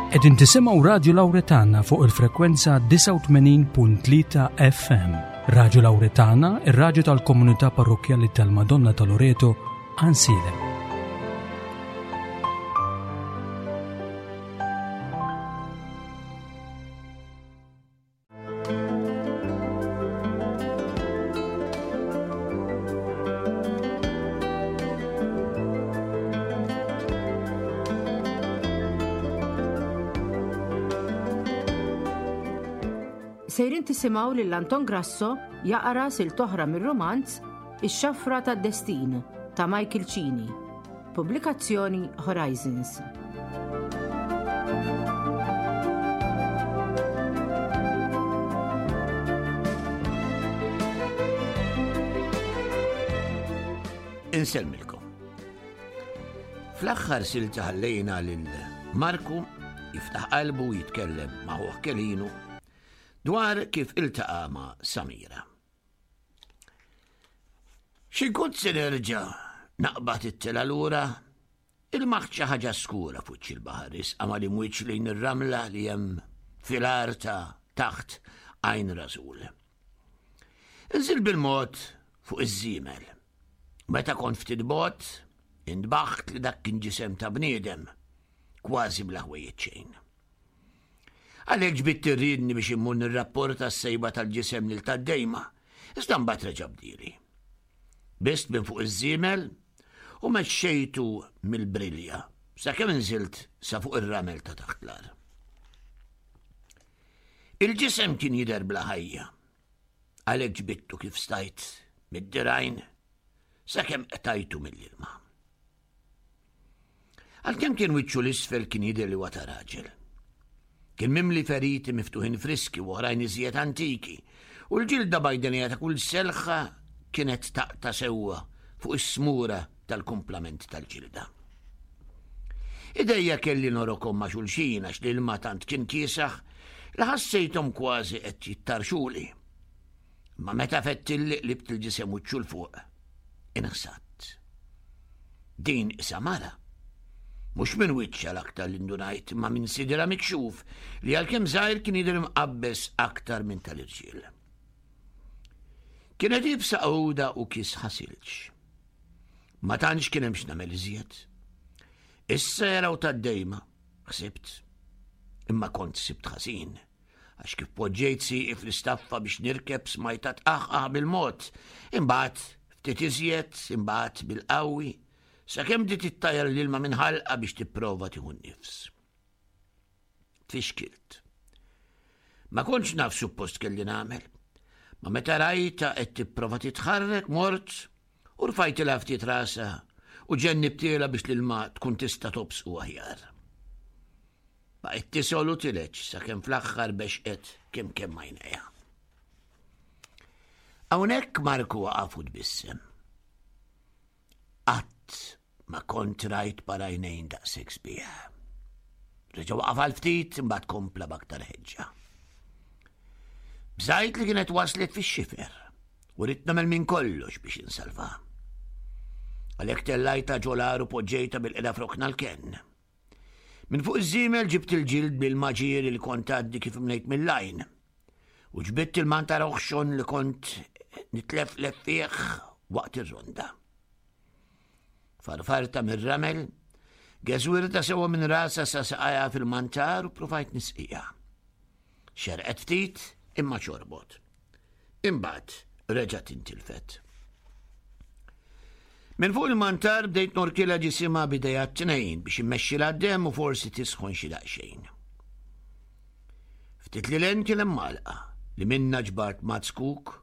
Qegħdin tisimgħu Radju Lawretana fuq il-frekwenza 89.3 FM. Radju Lawretana, ir-radju tal-komunità parrokkjali tal-Madonna ta' Loreto, Ansilem. Sejrin tisimgħu lil Anton Grasso jaqra sil toħra mir-romanz Ix-Xafra tad-Destin ta' Michael Cini. Pubblikazzjoni Horizons. Insellmilkom. Fl-aħħar silta ħallejna lil Marku jiftaħ qalbu jitkellem ma' ħuh Kelinu dwar kif iltaqa' ma' Samira. Xi kont se nerġa' naqbad it-tela lura, ilmaħt xi ħaġa skura fuċ il-baħar isqa mal-imwiċ lejn ir-ramla li hemm fil-għar ta' taħt għajn rażul. Inżil bil-mod fuq iż-żiemel. Meta kont ftit bot, intbaħt li dak kien ġisem ta' bniedem, kważi bla ħwejjeġ xejn. Għalhekk ġbidt ir-riedni biex immur nirrapporta s-sejba tal-ġisem lil tad-dejma, iżda mbagħad reġa' bdieli. Bist minn fuq iż-żiemel u mexxejtu mill-brilja sakemm inżilt sa fuq ir-ramel ta' taħt l-ar. Il-ġisem kien jidher bla ħajja. Għalhekk ġbidtu kif stajt mid-dirgħajn sakemm qtajtu mill-ilma. Għalkemm kien wiċċu l-isfel kien jidher li huwa ta' raġel. Kien mimli feriti miftuħin friski u oħrajn iżjed antiki, u l-ġilda bajdenija ta' kull selħa kienet taqta' sewwa fuq is-smura tal-kumplament tal-ġilda. Idejja kelli norokom ma' xulxin għax l-ilma tant kien kiesaħ li ħassejthom kważi qed jittarxuli. Ma meta fettilli qlibt il-ġisem wiċċu 'l fuq, inħsadt. Din isa mara. Mhux minn wiċċha l-aktar li ndunajt, ma minn sidra mikxuf li għalkemm żgħir kien jidher imqabbeż aktar minn tal-irġiel. Kienet ibsa għuda u kis ħasilġ. Ma tantx kien hemm x'nagħmel iżjed. Issa jaraw tad-dejma, ħsibt. Imma kont sibt ħażin. Għax kif poġġejt sieqi fl-istaffa biex nirkeb smajtha tqaħqaħ bil-mod, imbagħad ftit iżjed, imbagħad bil-qawwi, sakemm bdiet ittajjar l-ilma minn ħalqha biex tipprova tieħu n-nifs. Tfixkilt. Ma kontx naf suppost kelli nagħmel. Ma meta rajta qed tipprova titħarrek mort u rfajtilha ftit rasha u ġennibtielha biex l-ilma tkun tista' tobsqu aħjar. Baqgħet tisgħol u tileġ sakemm fl-aħħar bexqet kemm kemm għajnejha. Hawnhekk Marku waqaf u tbissem. Qatt ma kont rajt parajnejn daqshekk sbieħ. Reġa' waqaf għal ftit imbagħad kompla b'aktar ħeġġa. Bżajt li kienet waslet fix-xifer u ridt nagħmel minn kollox biex insalva. Għalhekk tellajta ġolar u poġġejta bil-qeda frokna l-kenn. Minn fuq iż-żiemel ġibt il-ġild bil-maġieri li kont għaddi kif mlejt mill-għajn. U ġbidt il-mantar oħxon li kont nitleflef fih waqt ir-ronda. Farfarta mir-ramel, geżwirta sewa minn rasa sa saqajha fil-mantar u provajt nisqija. Xerqet ftit imma xorbot. Imbagħad reġgħet intilfet. Minn fuq il-mantar bdejt norkilha ġisimha b'idejha t-tnejn biex immexxilha d-demm u forsi tisħon xi daqsxejn. Ftit li len kien hemm għalqa li minna ġbart mazzkuk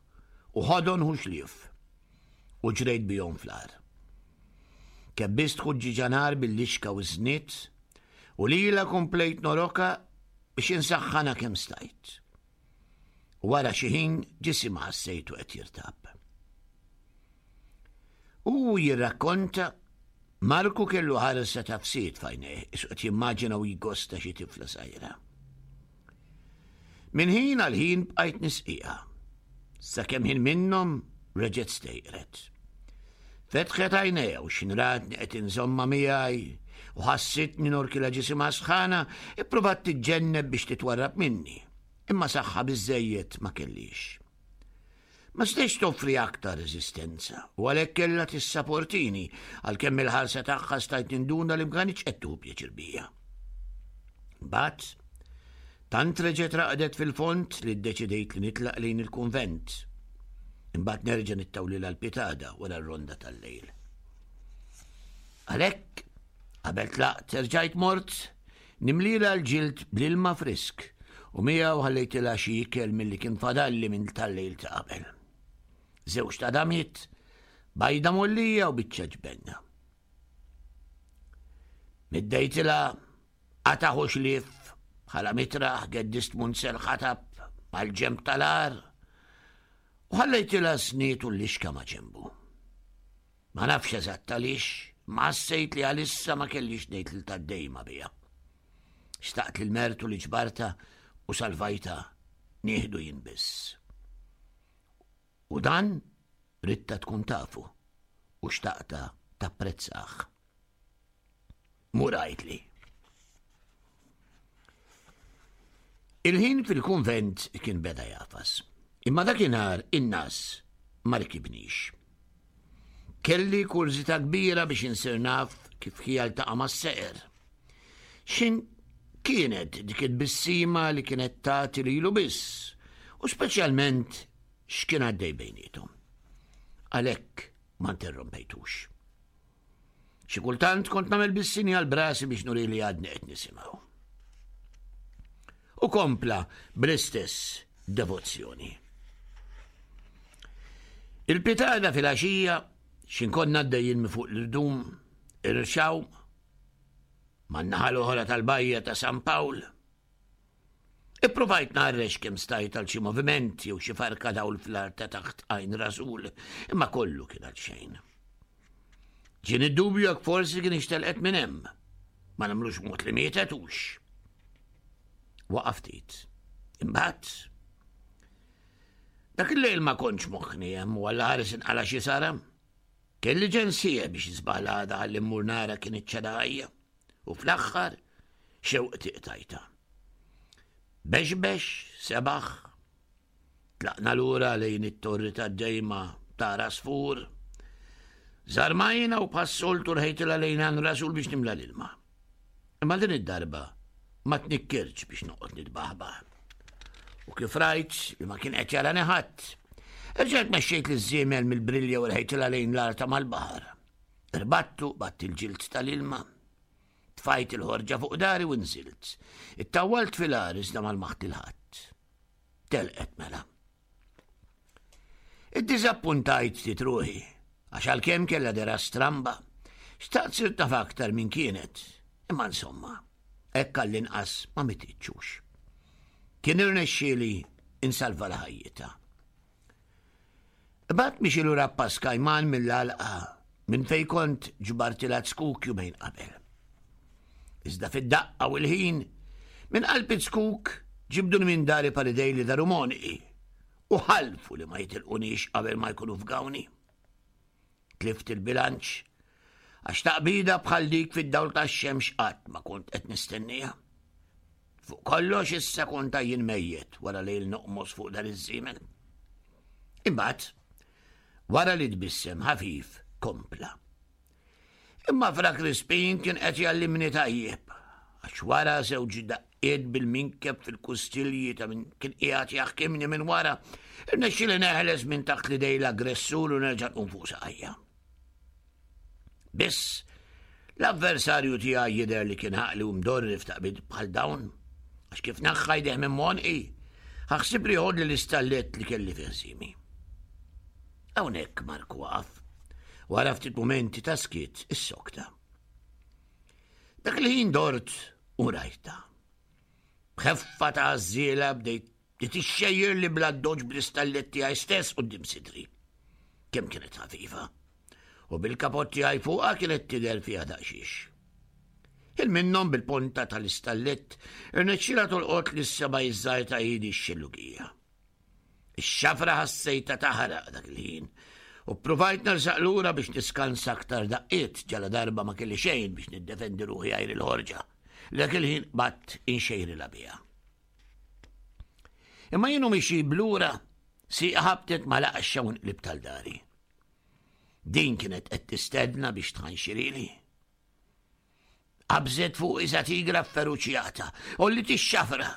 u ħodon ħuxlief u ġrejt bihom fl-għar. Kebbist ħuġġiġa nar bil-lixka u ż-żniet u lilha komplejt noroka biex insaħħanha kemm stajt. U wara xi ħin ġisimha ħassejtu qed jirtab. U jirrakkonta Marku kellu ħarsa ta' fsied f'għajnejh, isu qed jimmaġina u jgosta xi tifla sajra. Minn ħin għal ħin bqajt nisqiha. Sakemm ħin minnhom reġgħet stejqret. Fetħet għajnejha u x'inratni qed inżomma miegħi. u ħassitni norkilha ġisimha sħana, ippruvat tiġġenneb biex titwarrab minni, imma saħħa biżżejjed ma kellix. Ma stajtx toffri aktar reżistenza u għalhekk kellha tissaportini għalkemm il-ħarsa tagħha stajt ninduna li ma kanitx qed tieħu pjaċir bija. Mbagħad, tant reġgħet raqdet fil-fond li ddeċidejt li nitlaq lejn il-kunvent. Imbagħad nerġa' nittawlilha l-pitada wara r-ronda tal-lejl. Għalhekk, qabel tlaqt erġajt mort nimlilha l-ġild bl-ilma frisk u miegħu ħallejtilha xi ikel milli kien fadalli minn tal-lejl ta' qabel. Żewġ tadamiet, bajda mollija u biċċa ġbenna. Middejtilha qataħ u xlief bħala mitraħ geddist munzel ħatab mal-ġemb tal-għar u ħallejtilha sniet u l-lixka ma' ġembu. Ma nafx eżatt għaliex, ma ħassejt li għalissa ma kellix ngħid lil tad-dejma biha. Xtaqt li l-mertu li ġbarta u salvajta nieħdu jien biss. U dan ridtha tkun tafu u xtaqtha tapprezzah. Mur għidli. Il-ħin fil-kunvent kien beda jafas. Imma dakinhar in-nas ma rkibnix. Kelli kurżità kbira biex insir naf kif ħija ltaqa' mas-seqer. X'in kienet dik it-tbissima li kienet tagħti lilu biss, u speċjalment x'kien għaddej bejniethom. Għalhekk ma interrompejtux. Xi kultant kont nagħmel bis-sinjal brasi biex nuri li għadni qed nisimgħu. U kompla bl-istess devozzjoni. Il-pitada fil-għaxija xin konna għaddejjin minn fuq l-irdum, irxaw, man-naħa l-oħra tal-bajja ta' San Pawl. Ippruvajt ngħarrex kemm stajt għal xi moviment jew xi farka dawl fl-art ta' taħt għajn rasul, imma kollu kien għal xejn. Ġieni dubju jekk forsi kien ixtelqet minn hemm. Ma nagħmlux mod li mietet hux. Waqaf ftit. Imbagħad dak il-lejl ma kontx moħħni hemm u għalla ħares inqala xi sara. Kelli ġensija biex jisbaħ l-għada ħalli mmur nara kien iċ-ċeda ħajja. U fl-aħħar xewqti qtajta. Bexbex, sebaħ, tlaqna lura lejn it-torri tad-dejma ta' Rasfur. Zarmajna u bħas-soltu rħejtilha lejn għan rasul biex nimla l-ilma. Imma din id-darba ma tnikkirtx biex noqgħod nitbaħbaħ. U kif rajt li ma kien qed jarani ħadd, erġajt mexxejt liż-żiemel mill-brilja u rħejtilha lejn l-arta mal-baħar. Irbattu, batt il-ġild tal-ilma. Tfajt il-ħorġa fuq dari u nżilt. Ittawwalt fil-għar iżda mal-maħt il-ħadd. Telqet mela. Iddiżappuntajt ftit ruħi, għax għalkemm kellha dera stramba, xtaqt sirt naf aktar minn kienet, imma insomma, hekk għall-inqas ma mititxux. Kien irnexxieli insalva l-ħajjitha. Imbagħad mixi lura pass kajman mill-għalqa minn fejn kont ġbartilha zkuk jumejn qabel. Iżda fid-daqqa u l-ħin, minn qalb iz-zkuk ġibduni minn dari palidej li daru monqi u ħalfu li ma jitilqunix qabel ma jkunu fgawni. Tlift il-bilanċ għax taqbida bħal dik fid-dawl tax-xemx qatt ma kont qed nistenniha. Fuq kollox issa kont jien mejjet wara lejl noqmos fuq dan iż-żiemel. Imbagħad, wara li tbissem ħafif, kompla. Imma Fra Crispin kien qed jgħallimni tajjeb, għax wara żewġ daqqiet bil-minkeb fil-kustilji ta' min kien qiegħed jaħkimni minn wara, irnexxieli neħles minn taħt l-idej l-aggressur u nerġa' nqum fuq saqajja. Biss, l-avversarju tiegħi jidher li kien ħaqli u mdorri f'taqbid bħal dawn, għax kif naħħa jdeh minn monqi, ħaħsib li jħodli l-istallett li kelli fi ħsiemi. Hawnhekk Marku waqaf, wara ftit mumenti ta' skiet is-sokta. Dak li ħin dort u rajta. B'ħeffa ta' għażżiela bdejt li tixxejjer li bla doġ bl-istallett tiegħi stess quddiem sidri. Kemm kienet ħafifa. U bil-kapott tiegħi fuqha kienet tidher fiha daqsxiex. Il minnhom bil-ponta tal-istallett irnexxilha tolqot lis seba' iż-żgħir ta' idi x-xillugija. Ix-xafra ħassejtha taħraq dak il-ħin. U ppruvajt nersaq lura biex niskansa aktar daqqiet ġala darba ma kelli xejn biex niddefendi ruħi għajr il-ħorġa. Dak il-ħin qbadt inxejrilha biha. Imma jienu mixi blura si ħabtet ma laqxxa u nqlib tal-dari. Din kienet qed tistedna biex tħanxirili. Qabżet fuq iża tigra feruċjata u li tixxafra.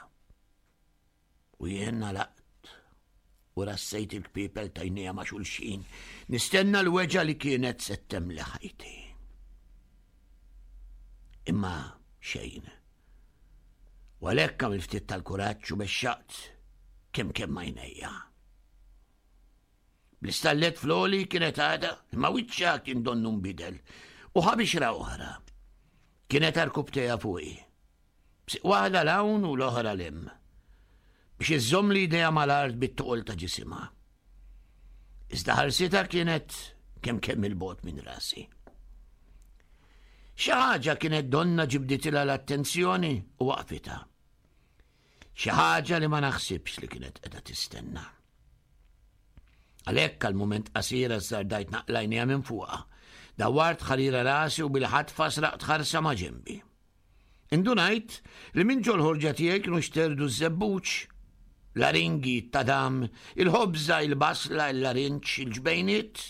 U jien nalaqt u rassejt il-kpipel tajnija ma' xulxin, nistenna l-weġa li kienet se temli ħajti. Imma xejn. U għalhekk għamil ftit tal-kuraġġ u bexxaqt kemm kemm għajnejja. Bl-istallet floli kienet għada, imma wiċċha kien donnu nbidel u ħabixra oħra. Kienet arkubteja fuqi. B'siq waħda 'l hawn u l-oħra 'l hemm. Biex iżżomm li idejha mal-art bit-toqol ta' ġisimha. Iżda ħarsitha kienet kemm kemm il-bogħod minn rasi. Xi ħaġa kienet donna ġibditilha l-attenzjoni u waqfitha. Xi ħaġa li ma naħsibx li kienet qiegħda tistenna. Għalhekk għal mument qasir azzardajt naqlajnija minn fuqha. Dawwart ħarira rasi u bil-ħatfa sraqt ħarsa ma' ġenbi. Indunajt li minn ġol-ħorġa tiegħi kienu xterdu ż-żebbuġ, l-aringi, t-tadam, il-ħobża, il-basla, il-larinġ, il-ġbejniet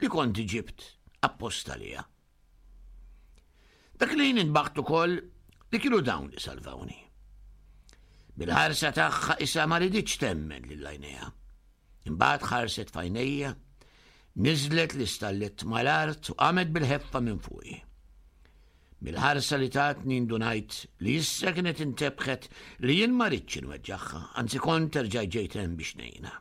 li kont ġibt apposta liha. Dak li jien intbaħt ukoll li kienu dawn li salvawni. Bil-ħarsa tagħha isa ma riditx temmen lil għajnejha. Imbagħad ħarset f'għajnejja, niżlet l-istallet mal-art u qamet bil-ħeffa minn fuqi. Mill-ħarsa li tatni ndunajt li issa kienet intebħet li jien ma ridtx inweġġagħha, anzi kont erġajt ġejt hemm biex ngħinha.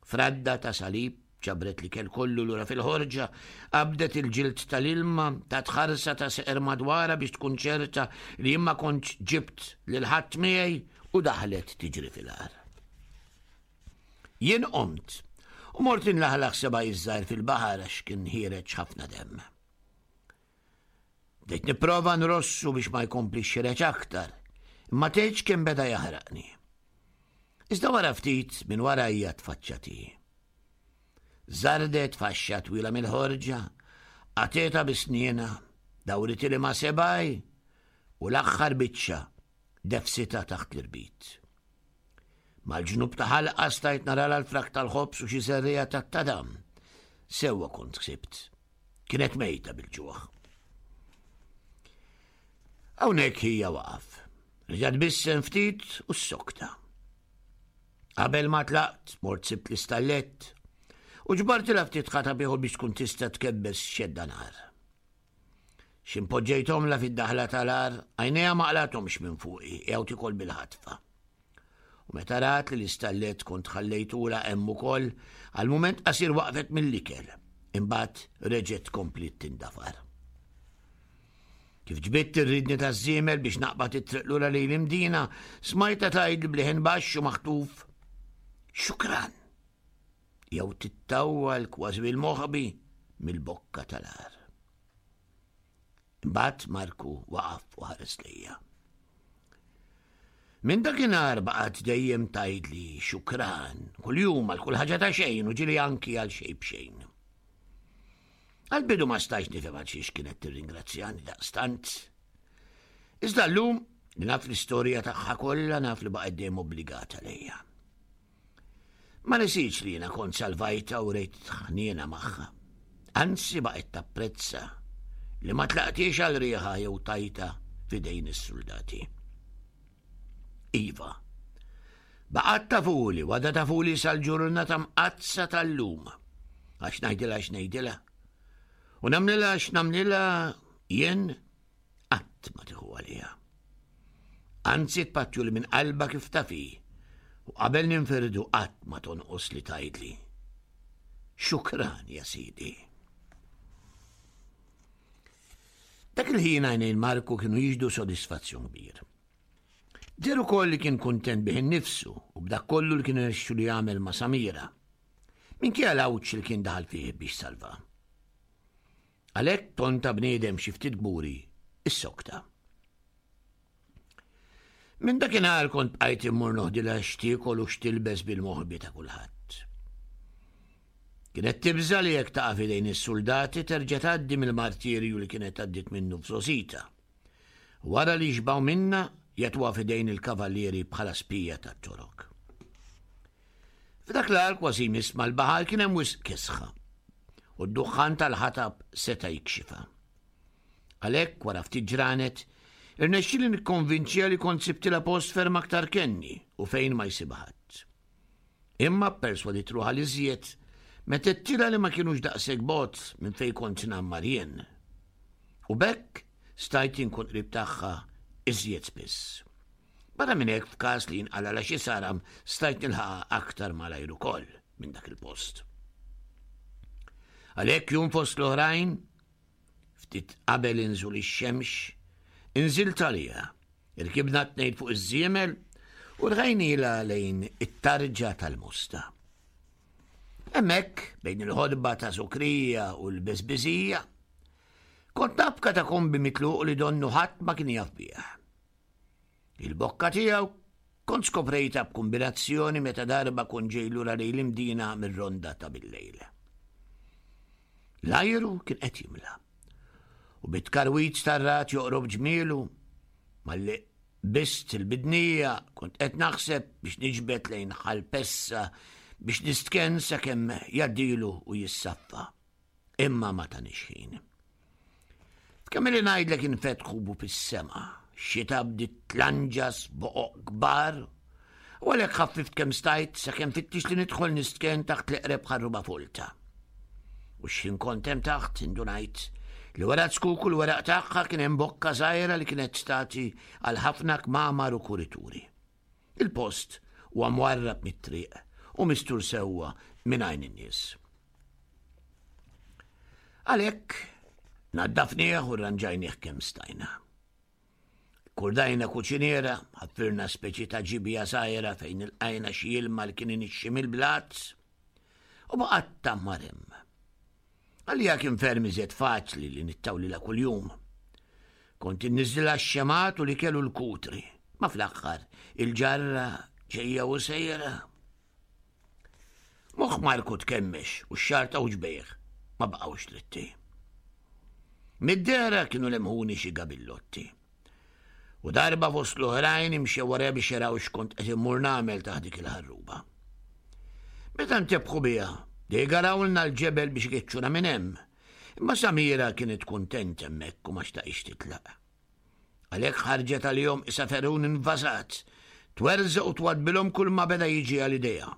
Fradda ta' salib ġabret l-ikel kollu lura fil-ħorġa, qabdet il-ġild tal-ilma, tat ħarsa ta' seqer madwarha biex tkun ċerta li jien ma kontx ġibt lil ħadd miegħi u daħlet tiġri fil-għar. Jien qomt u mort inlaħlaħ seba' iż-żgħir fil-baħar għax kien ħiereġ ħafna demm. Bdejt nipprova nrossu biex ma jkomplix xireġ aktar, imma tgħidx kemm beda jaħraqni. Iżda wara ftit minn warajja tfaċċati. Zardet faxxa twila mill-ħorġa, qateta bi sniena, dawritili ma' sebaj u l-aħħar biċċa defsita taħt l-irbit. Mal-ġnub ta' ħalqa stajt narala l-frak tal-ħobż u xi żerriegħa tat-tadam. Sewwa kont ħsibt. Kienet mejta bil-ġuħ. Hawnhekk hija waqaf. Reġa' tbissem ftit u s-sokta. Qabel ma tlaqt, mort sibt l-istallett u ġbartilha ftit ħatab ieħor biex tkun tista' tkebbes xedda nar. X'impoġġejthomlha fid-daħla tal-għar, għajnejha ma qlathomx minn fuqi, jew tikol bil-ħatfa. U meta rat li l-istallett kont ħallejtulha hemm ukoll, għal mument qasir waqfet mill-ikel, imbagħad reġgħet kompliet tindafar. Kif ġbidt ir-ridni taż-żiemel biex naqbad it-triq lura lejn l-Imdina, smajtha tgħidli b'leħen baxx u maħtuf, Xukran! Jew tittawwal kważi bil-moħbi mill-bokka tal-għar. Imbagħad Marku waqaf u ħares lejja. Minn dakinhar baqgħet dejjem tgħidli xukran kuljum għal kull ħaġa ta' xejn u ġieli anki għal xejn b'xejn. Għal-bidu ma stajx nifhem għal xiex kienet tirringrazzjani daqstant. Iżda llum li naf l-istorja tagħha kollha naf li baqgħet dejjem obbligata lejja. Ma nesitx li jiena kont salvajtha u rejt ħniena magħha. Anzi baqgħet tapprezza li ma tlaqtiex għal riħa jew tajta f'idejn is-suldati. Iva, baqgħet tafuli, għadha tafuli sal-ġurnata mqaddsa tal-lum. Għax ngħidilha x'ngħidilha. U nagħmlilha x'nagħmlilha jien qatt ma tieħu għaliha. Anzi tpattjuli minn qalbha kif taf hi, u qabel ninfirdu qatt ma tonqos li tgħidli, Xukran ja sidi. Dak il-ħin għajnejn Marku kienu jixhdu sodisfazzjon kbir. Deher ukoll li kien kuntent bih innifsu u b'dak kollu li kien irnexxilu li jagħmel ma' Samira. Minkejja l-għawġ li kien daħal fih biex salva. Għalhekk ton ta' bniedem xi ftit kburi issokta. Minn dakinhar kont bqajt immur noħdilha x'tiekol u x'tilbes bil-moħbi ta' kulħadd. Kienet tibża' li jekk taqa' f'idejn is-suldati terġa' tgħaddi mill-martirju li kienet għaddiet minnu f'żgħożitha. Wara li jixbgħu minnha, jagħtuha f'idejn il-kavallieri bħala spija tat-Torok. F'dak l-għar kważi jmiss mal-baħar kien hemm wisq kesħa u d-duħħan tal-ħatab seta' jikxifha. Għalhekk, wara ftit ġranet, irnexxieli nikkonvinċiha li kont sibtilha post ferm aktar kenni u fejn ma jsibha ħadd. Imma pperswadit ruħha l-iżjed meta għedtilha li ma kinux daqshekk bogħod minn fejn kont ngħammar jien. U b'hekk stajt inkun qrib tagħha iżjed spiss. Barra minn hekk f'każ li jinqalgħalha xi saram stajt nilħaqha aktar malajr ukoll minn dak il-post. Għalhekk jum fost l-oħrajn, ftit qabel inżul ix-xemx, inżilt għaliha, irkibna t-tnejn fuq iż-żiemel u rħajnilha lejn it-tarġa tal-Mosta. Hemmhekk, bejn il-ħodba ta' Sukrija u l-Beżbiżija, kont naf katakombi mitluq li donnu ħadd ma kien jaf bih. Il-bokka tiegħu kont skoprejtha b'kumbinazzjoni meta darba kont ġej lura lejn l-Imdina mir-ronda ta' billejl. L-ajru kien qed jimla. U bit-tkarwiz tar-ragħad joqrob ġmielu, malli bist il-bidnija kont qed naħseb biex niġbed lejn ħal pessa biex nistkenn sakemm jgħaddilu u jissaffa. Imma ma tanix ħin. F'kemm li ngħidlek infetħu bu fis-sema, xita bdiet tlanġas boqoq kbar, u għalhekk ħaffift kemm stajt sakemm fittix li nidħol nistken taħt l-eqreb ħarruba folta. U x'ħin kont hemm taħt indunajt li wara zkuk u l-weraq tagħha kien hemm bokka żgħira li kienet tagħti għal ħafna kmamar u kurituri. Il-post huwa mwarrab mit-triq u mistur sewwa minn għajn in-nies. Għalhekk naddafnieh u rranġajnieh kemm stajna. Kurdajna kuċiniera, ħaffirna speċi ta' ġibja żgħira fejn ilqajna xi ilma li kien inixxi mill-blat u baqgħet tgħammar hemm. Għalija kien ferm iżjed faċli li nittawlilha kuljum. Kont inniżżilha x-xemgħat u l-ikel u l-kutri, ma fl-aħħar il-ġarra ġejja u sejra. Moħħ Marku tkemmex u x-xagħar ta' wġbejh ma baqgħux dritti. Mid-dehra kienu lemħuni xi gabillotti. U darba fost l-oħrajn imxew wara biex jaraw x'kont qed immur nagħmel taħt dik il-ħarruba. Meta ntebħu biha, degarawlna l-ġebel biex ikeċċuna minn hemm. Imma Samira kienet kuntent hemmhekk u ma xtaqix titlaq. Għalhekk ħarġet għalihom isa ferun invażat, twerżaq u twadbilhom kull ma beda jiġi għal idejha.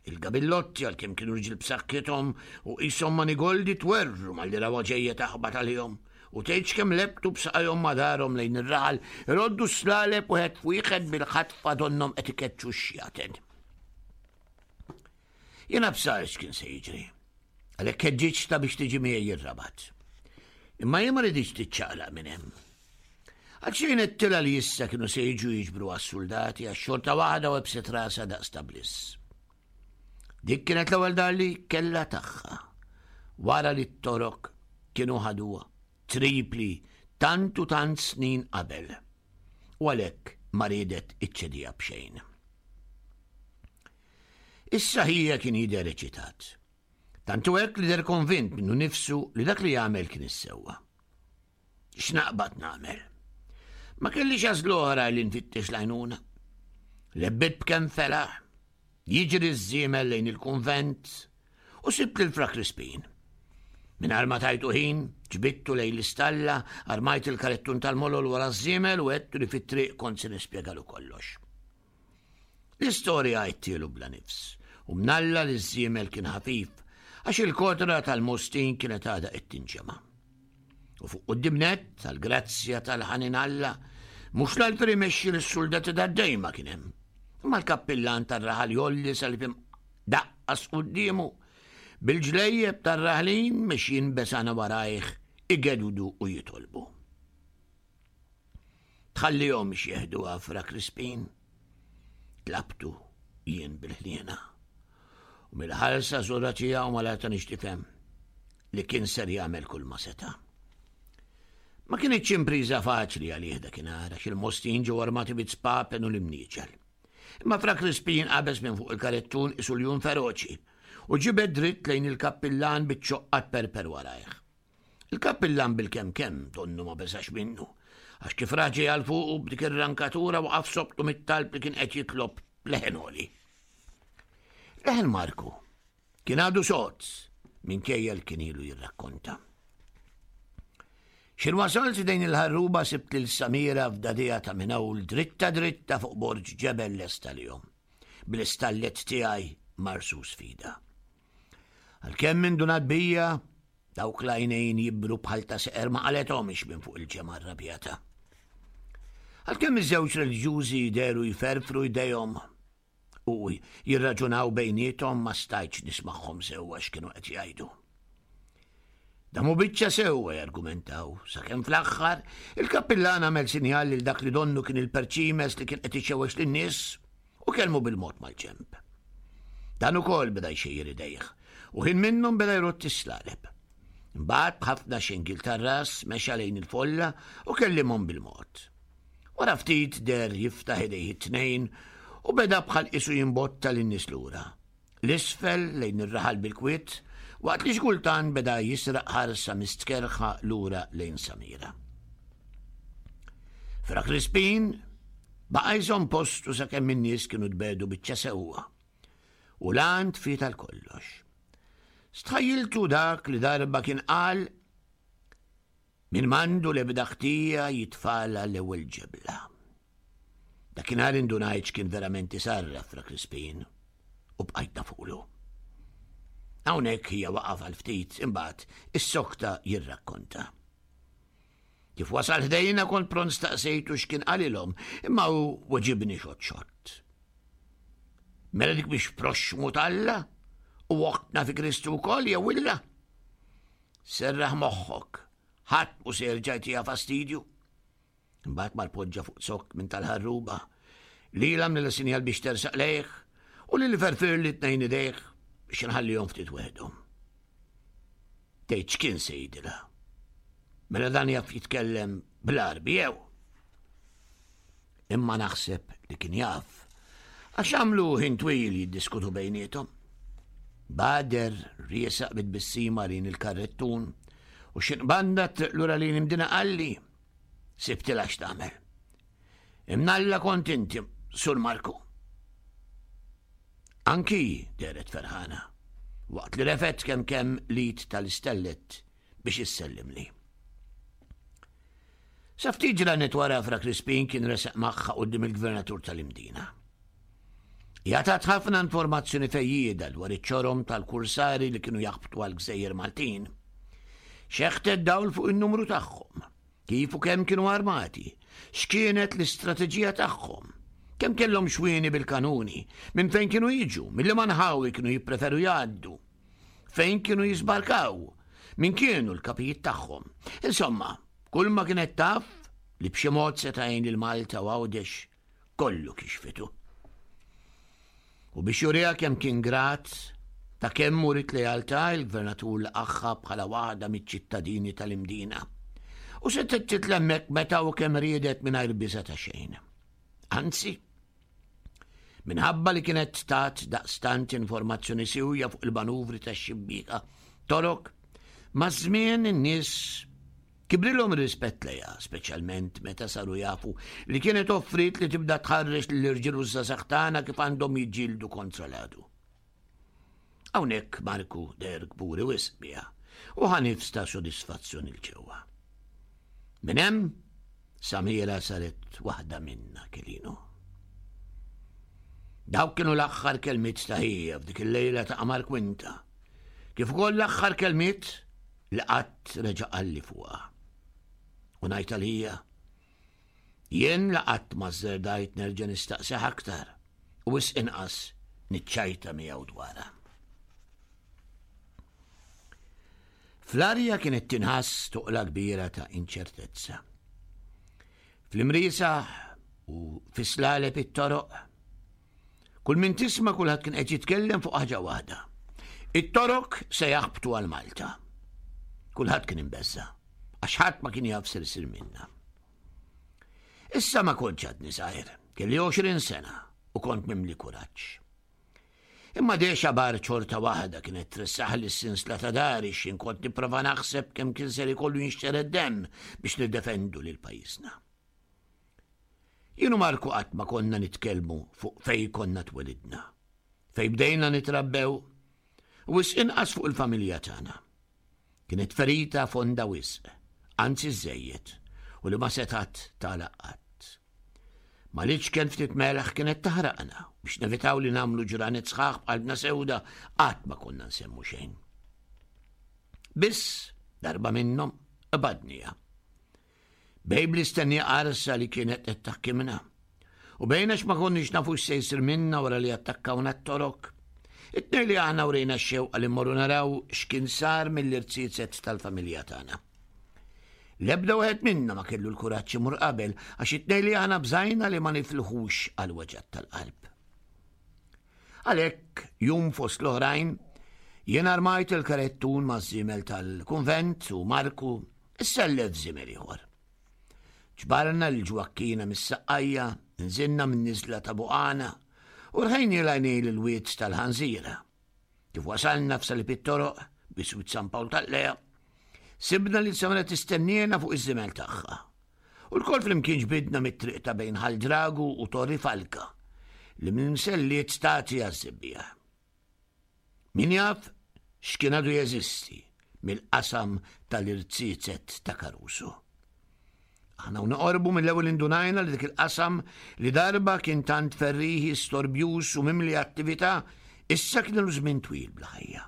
Il-gabillotti għalkemm kienu rġiel b'saħħithom u qishom manigoldi twerwru malli rawha ġejja taħbat għalihom u tgħidx kemm lebtu b'saqajhom ma' darhom lejn ir-raħal iroddu s-slaleb wieħed f'wieħed bil-ħatfa donnhom qed ikeċċu x-xjaten. Jiena bsar x'kien se jiġri. Għalhekk ħeġġiġtha biex tiġi miegħi r-Rabat. Imma hi ma riditx tiċċaqlaq minn hemm. Għal xejn għedtilha li issa kienu se jiġu jiġbru għas-suldati għax xorta waħda webbset rasha daqs ta' bliss. Dik kienet l-ewwel dar li kellha tagħha. Wara li t-Torok kienu ħaduha Tripli tant u tant snin qabel. U għalhekk ma riedet iċċediha b'xejn. Issa ħija kien jidher eċitat. Tant hu hekk li deher konvint minnu nifsu li dak li għamel kien is-sewwa. X'naqbad nagħmel? Ma kellix għażla oħra li nfittex l-għajnuna. Lebbit b'kemm felaħ, jiġri ż-żiemel lejn il-kunvent u sibt lil Fra Crispin. Mingħajr ma tajtu ħin, ġbidtu lejn l-istalla, armajt il-karettun tal-molol wara ż-żiemel u għedtu li fit-triq kont se nispjegalu kollox. L-istorja għidtielu bla nifs, u mnalla li ż-żiemel kien ħafif, għax il-kotra tal-Mostin kienet għadha qed tinġema'. U fuq quddiem nett, tal-grazzja tal-ħanin Alla, mhux l-alter imexxi lis-suldati tad-dej ma kien hemm. Imma l-kappillan tar-raħal jolli salib daqqas quddiemu, bil-ġlejjeb tar-raħlin mexjin besana warajh igedudu u jitolbu. Tħallihomx jeħduha Fra Crispin. Tlabtu jien bil-ħniena. U mill-ħarsa żura tiegħu ma latanix tifhem li kien ser jagħmel kull ma seta'. Ma kinitx impriża faċli għalih dakinhar għax il-Mostin ġew armati bit-spapen u l-imnieġel. Imma Fra Crispin qabeż minn fuq il-karettun isu ljun feroċi. u ġibed dritt lejn il-kappillan biċ-ċoqqa tperper warajh. Il-kappillan bil-kemm kemm donnu ma beżax minnu, għax kif ra ġej għal fuqu b'dik ir-rankatura waqaf sobtu mit-talb li kien qed jitlob leħen għoli. Leħen Marku kien għadu sod minkejja li kien ilu jirrakkonta. X'in wasalt dejn il-ħarruba sibt lil Samira f'dadija ta' minn dritta dritta fuq borġ ġebel lesta lihom. Bl-istallet tiegħi marsus fida. Għalkemm indunat bija, dawk l-għajnejn jibru bħal ta' seqer ma qalethomx minn fuq il-ġemgħa rrabjata. Għalkemm iż-żewġ reliġjużi jderu jferfru jdejhom u jirraġunaw bejniethom ma stajtx nismagħhom sewwa x'kienu qed jgħidu. Damu biċċa sewwa jargumentaw, sakemm fl-aħħar il-kappillan għamel sinjal lil dak li donnu kien il-perċimes li kien qed ixewwex lin-nies u kellmu bil-mod mal-ġenb. Dan ukoll beda jxejjer idejh u ħin minnhom beda jrodd is-slaleb. Imbagħad b'ħafna xingil tar-ras mexa lejn il-folla u kellimhom bil-mod. Wara ftit der jiftaħ idejh it-tnejn u beda bħal qisu jimbotta lin-nies lura. 'l isfel lejn ir-raħal bil-kwiet, waqt li xi kultant beda jisraq ħarsa mistkerrħa lura lejn Samira. Fra Crispin baqa' jżomm postu sakemm in-nies kienu tbegħdu biċċa sewwa u l-għan tfiet għal kollox. Stħajjiltu dak li darba kien qal min m'għandu l-ebda ħtija jitfagħla l-ewwel ġebla. Dakinhar indunajt x'kien verament isarraf Fra Crispin u bqajt nafulu. Hawnhekk hija waqaf għal ftit imbagħad issokta jirrakkonta. Kif wasal ħdejna kont pront staqsejtu x'kien qalilhom, imma hu weġibni xott xott. Mela dik biex proxxmu t'Alla u oħtna fi Kristu wkoll jew illa? Serraħ moħħok, ħadd mhu se jerġa' jtiha fastidju. Imbagħad mar poġġa fuq zokk minn tal-ħarruba. Lil għamlilha sinjal biex tersaq lejh u lil ferfirli tnejn idejh biex inħallihom ftit weħdhom. Tgħid x'kien se jgħidilha? Mela dan jaf jitkellem bl-Għarbi jew? Imma naħseb li kien jaf. Għax għamlu ħin twil jiddiskutu bejniethom. Bader riesaq bit-tbissima lejn il-karrettun u xinqbanda triq lura lejn imdina qalli. Sibtilha x'tagħmel. Imnalla kont inti, Sur Marku. Anki dehret ferħana, waqt li refet kemm kemm l-id tal-istellet biex issellimli. Sa ftit ġranet wara Fra Crispin kien resaq magħha quddiem il-gvernatur tal-Imdina. Hija tat ħafna informazzjoni fejjieda dwar iċ-ċorom tal-kursari li kienu jaħbtu għall-gżejjer Maltin. Xeħtet dawl fuq in-numru tagħhom, kif u kemm kienu armati, x'kienet l-istrateġija tagħhom, kemm kellhom xwieni bil-kanuni, minn fejn kienu jiġu, mill-liema nħawi kienu jippreferu jgħaddu, fejn kienu jiżbarkaw, min kienu l-kapijiet tagħhom. Insomma, kull ma kienet taf li b'xi mod seta' jgħin lil Malta u Għawdex kollu kixfitu. U biex juriha kemm kien grat ta' kemm urit lealtà il-gvernatur laqagħha bħala waħda miċ-ċittadini tal-Imdina. U setgħet titlemmek meta u kemm riedet mingħajr biża' ta' xejn. Anzi, minħabba li kienet tat daqstant informazzjoni siwja fuq il-manuvri tax-xibbieka torok, maż-żmien in-nies Kibrilhom ir-rispett lejha, speċjalment meta saru jafu li kienet offriet li tibda tħarreġ lill-irġiel u ż-żgħażagħ tagħna kif għandhom jiġġieldu kontra l-għadu. Hawnhekk Marku deher kburi wisq biha u ħa nifs ta' sodisfazzjon 'il ġewwa. Minn hemm Samira saret waħda minna Kelino. Dawk kienu l-aħħar kelmiet ta' ħija f'dik il-lejla ta' qamar kwinta. Kif ukoll l-aħħar kelmiet li qatt reġa' qalli fuqha. U ngħid għalija, jien la qatt ma żżerdajt nerġa' nistaqsih aktar u wisq inqas niċċajta miegħu dwarha. Fl-arja kienet tinħass toqla kbira ta' inċertezza. Fl-imriesaħ u fis-slaleb it-toroq Kull min tisma' kulħadd kien qed jitkellem fuq ħaġa waħda. It-Torok se jaħbtu għal Malta. Kulħadd kien imbeżża, għax ħadd ma kien jaf ser isir minna. Issa ma kontx għadni żgħir, kelli 20 sena u kont mimli kuraġġ. Imma dexa bar ċorta waħda kienet tressaħ li s-sinsla ta' dari x'in kont nipprova naħseb kemm kien ser ikollu jinxtered demm biex niddefendu lil pajjiżna. Jien u Marku qatt ma konna nitkellmu fuq fej konna twelidna, fej bdejna nitrabbew, u wisq inqas fuq il-familja tagħna. Kienet ferita fonda wisq, anzi żejjed, u li ma setat tagħlaq qatt. Ma l-iċken ftit melħ kienet taħraqna biex nevitaw li nagħmlu ġranet sħaħ b'qalbna sewda qatt ma konna nsemmu xejn. Biss darba minnhom qbadnija. Bejn bl-istennija qarsa li kienet qed taħkimna. U bejn għax ma konniex nafu x'se jsir minna wara li attakkawna t-Torok. It-tnejn li aħna urejna x-xewqa li mmorru naraw x'kien sar mill-irziezet tal-familja tagħna. L-ebda wieħed minna ma kellu l-kuraġġ imur qabel għax it-tnejn li aħna bżajna li ma nifilħux għal weġgħat tal-qalb. Għalhekk, jum fost l-oħrajn, jien armajt il-karettun maż-żiemel tal-kunvent u Marku issellef żiemel ieħor. Ġbarna lil Ġwakkina mis-Saqqajja, nżilna min-niżla ta' Buqana u rħejni l-għajnejn l-wied tal-Ħanżira. Kif wasalna f'salib it-toroq, biswit San Pawl tal-Lea, sibna lil Samara tistenniena fuq iż-żimel tagħha. U lkoll flimkien ġbidna mit-triq ta' bejn Ħal Dragu u Torri Falka, li mill-Mselliet tagħti għaż-Żebbiegħ. Min jaf x'kien għadu jeżisti mill-qasam tal-irziezet ta' Caruso. Aħna u noqorbu mill-ewwel indunajna li dik il-qasam li darba kien tant ferrieħi, storbjuż u mimli attività, issa kien ilu żmien twil bla ħajja.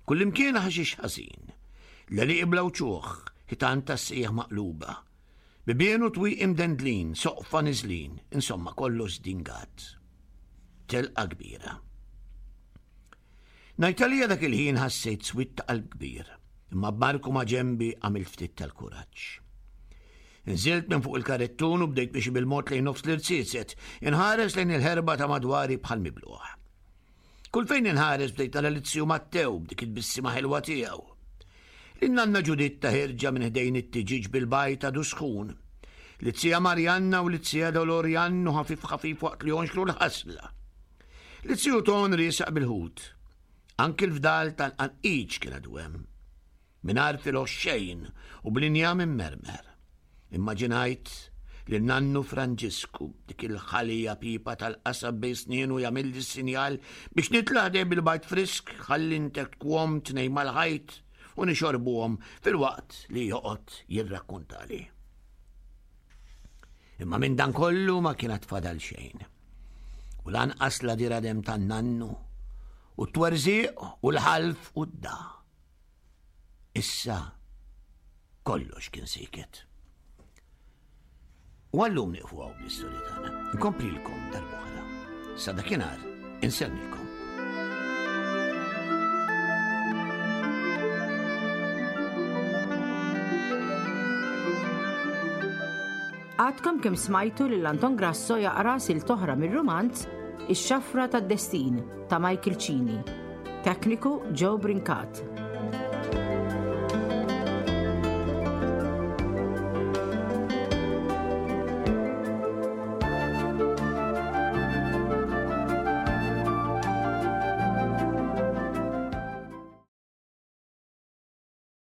Kullimkien ħaxix ħażin, l-għelieqi bla wċuħ, ħitan tas-sieħ maqluba, bibien u twieqi mdendlin, soqfa niżlin, insomma kollox żdingat. Telqa kbira. Ngħid għalija dak il-ħin ħassejt swied ta' qalb kbir, imma b'Marku ma' ġenbi għamilt ftit tal-kuraġġ. Nżilt minn fuq il-karettun u bdejt mixi bil-mod lejn nofs l-irziezet, inħares lejn il-ħerba ta' madwari bħal mibluħ. Kull fejn inħares bdejt nara l-ziju Mattew b'dik it-tbissima ħelwa tiegħu. Lin-nanna Ġuditta ħierġa minn ħdejn it-tiġieġ bil-bajd għadu sħun. L-zija Marjanna u l-zija Dolor jgħannu ħafif ħafif waqt li jonxlu l-ħasla. L-ziju Ton riesaq bil-ħut. Anki l-fdal tal-qanqiċ kien għadu hemm. Mingħajr filgħox xejn u bl-injam immermer. Immaġinajt lil nannu Franġisku b'dik il-ħalija pipa tal-qasab bejn snienu jagħmilli s-sinjal biex nitla' ħdejh bil-bajd frisk ħalli ntekkwhom tnejn mal-ħajt u nixorbuhom filwaqt li joqgħod jirrakkuntali. Imma minn dan kollu ma kien għad fadal xejn. U lanqas la diradem tan-nannu u t-twerżiq u l-ħalf u d-da. Issa kollox kien siket. U għallum nieqfu għaw bl-istorja tagħna. Nkomplilkom darb'oħra. Sa dakinhar insellmilkom. Għadkom kemm smajtu lil Anton Grasso jaqra silt oħra mir-rumanz Ix-Xafra tad-Destin ta' Michael Cini. Tekniku Joe Brincat.